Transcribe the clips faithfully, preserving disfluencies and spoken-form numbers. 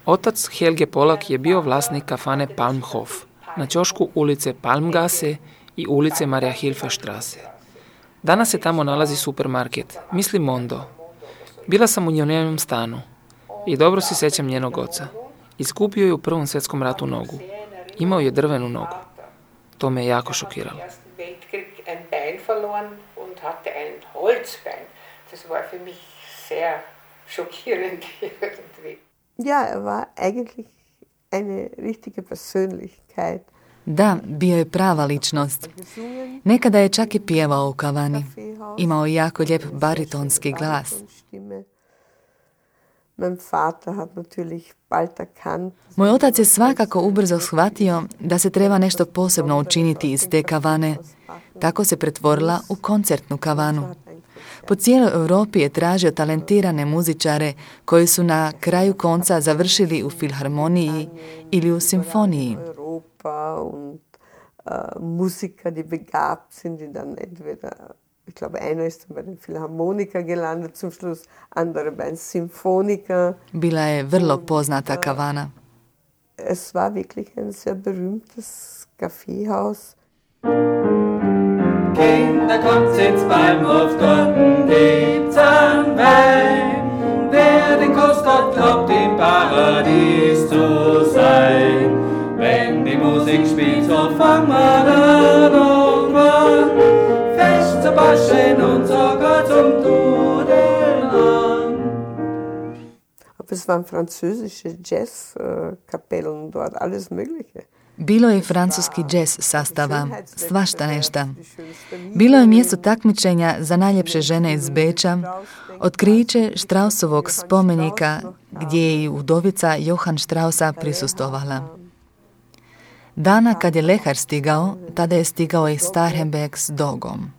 Otac Helge Polak je bio vlasnik kafane Palmhof na ćošku ulice Palmgasse i ulice Maria Hilferstrasse. Danas se tamo nalazi supermarket, mislim Mondo. Bila sam u njenom stanu i dobro se sjećam njenog oca. Izgubio je u Prvom svjetskom ratu nogu. Imao je drvenu nogu. To me je jako šokiralo. Ja, er war eigentlich eine richtige Persönlichkeit. Da, bio je prava ličnost. Nekada je čak i pjevao u kavani. Imao je jako lijep baritonski glas. Moj otac je svakako ubrzo shvatio da se treba nešto posebno učiniti iz te kavane. Tako se pretvorila u koncertnu kavanu. Po cijeloj Europi je tražio talentirane muzičare koji su na kraju konca završili u filharmoniji ili u simfoniji. Und uh, Musiker, die begabt sind, die dann entweder, ich glaube, einer ist dann bei den Philharmoniker gelandet zum Schluss, andere bei den Symphoniker. Bila je vrlo poznata kavana. Es war wirklich ein sehr berühmtes Kaffeehaus. Kinder, kommt ins Palmhof, dort gibt's ein Wein. Wer den Kuss dort glaubt, im Paradies zu sein. Wenn die Musik spielt, so fangen wir dann irgendwann fest zu baschen und sogar zum Tuden an. Aber es waren französische Jazzkapellen dort, alles Mögliche. Bilo je francuski džez sastava, svašta nešta. Bilo je mjesto takmičenja za najljepše žene iz Beča, otkriće Straussovog spomenika gdje je i udovica Johann Straussa prisustovala. Dana kad je Lehar stigao, tada je stigao i Starhemberg s dogom.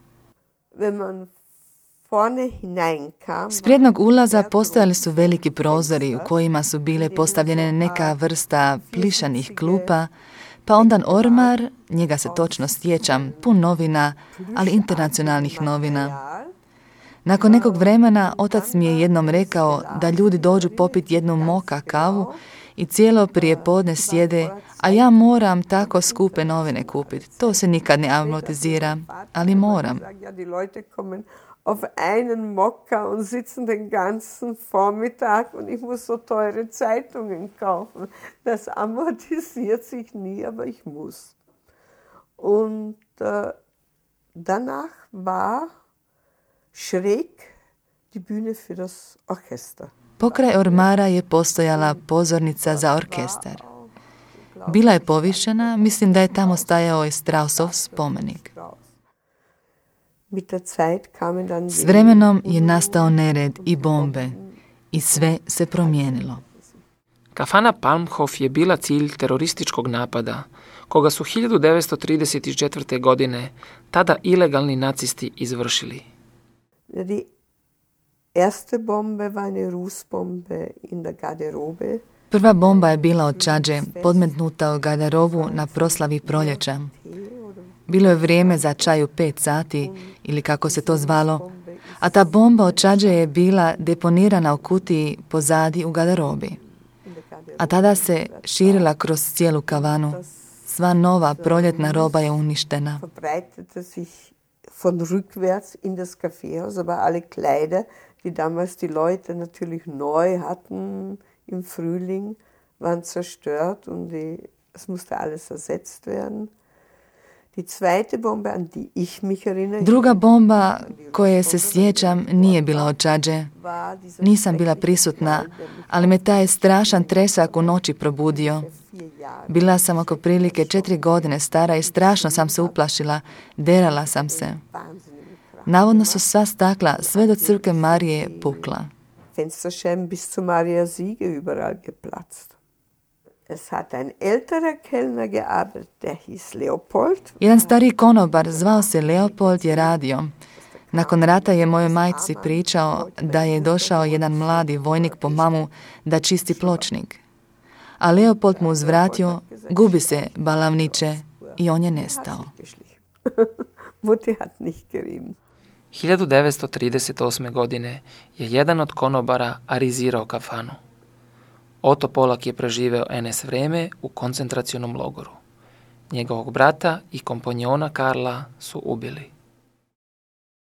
S prijednog ulaza postojali su veliki prozori u kojima su bile postavljene neka vrsta plišanih klupa, pa ondan ormar, njega se točno sjećam, pun novina, ali internacionalnih novina. Nakon nekog vremena otac mi je jednom rekao da ljudi dođu popiti jednu moka kavu i cijelo prijepodne sjede, a ja moram tako skupe novine kupiti. To se nikad ne amortizira, ali moram. Auf einen Mokka und sitzen den ganzen Vormittag und ich muss so teure Zeitungen kaufen. Das amortisiert sich nie, aber ich muss. Und äh, danach war schräg die Bühne für das Orchester. Pokraj ormara je postojala pozornica za orkestar. Bila je povišena, mislim da je tamo stajao i Straussov spomenik. S vremenom je nastao nered i bombe i sve se promijenilo. Kafana Palmhof je bila cilj terorističkog napada, koga su hiljadu devetsto trideset četvrte. godine tada ilegalni nacisti izvršili. Die erste Bombe war eine Rußbombe in der Garderobe. Prva bomba je bila od čađe, podmetnuta u garderobu na proslavi proljeća. Bilo je vrijeme za čaj u pet sati, ili kako se to zvalo, a ta bomba od čađe je bila deponirana u kutiji pozadi u garderobi. A tada se širila kroz cijelu kavanu. Sva nova proljetna roba je uništena. Von rückwärts in das Kaffeehaus, aber alle Kleider, die damals die Leute natürlich neu hatten im Frühling, waren zerstört und die, es musste alles ersetzt werden. Die zweite Bombe, an die ich mich erinnere, Druga bomba koje se sjećam nije bila od čađe. Nisam bila prisutna, ali me taj strašan tresak u noći probudio. Bila sam oko prilike četiri godine stara i strašno sam se uplašila, derala sam se. Navodno su sva stakla sve do crkve Marije pukla. Fensterscheiben bis zu Maria Siege überall geplatzt. Es hat ein älterer Kellner gearbeitet, der hieß Leopold. Jedan stariji konobar zvao se Leopold je radio. Nakon rata je mojoj majci pričao da je došao jedan mladi vojnik po mamu da čisti pločnik. A Leopold mu uzvratio, gubi se, balavniče, i on je nestao. hiljadu devetsto trideset osme. godine je jedan od konobara arizirao kafanu. Otto Polak je preživeo en es vreme u koncentracionom logoru. Njegovog brata i kompanjona Karla su ubili.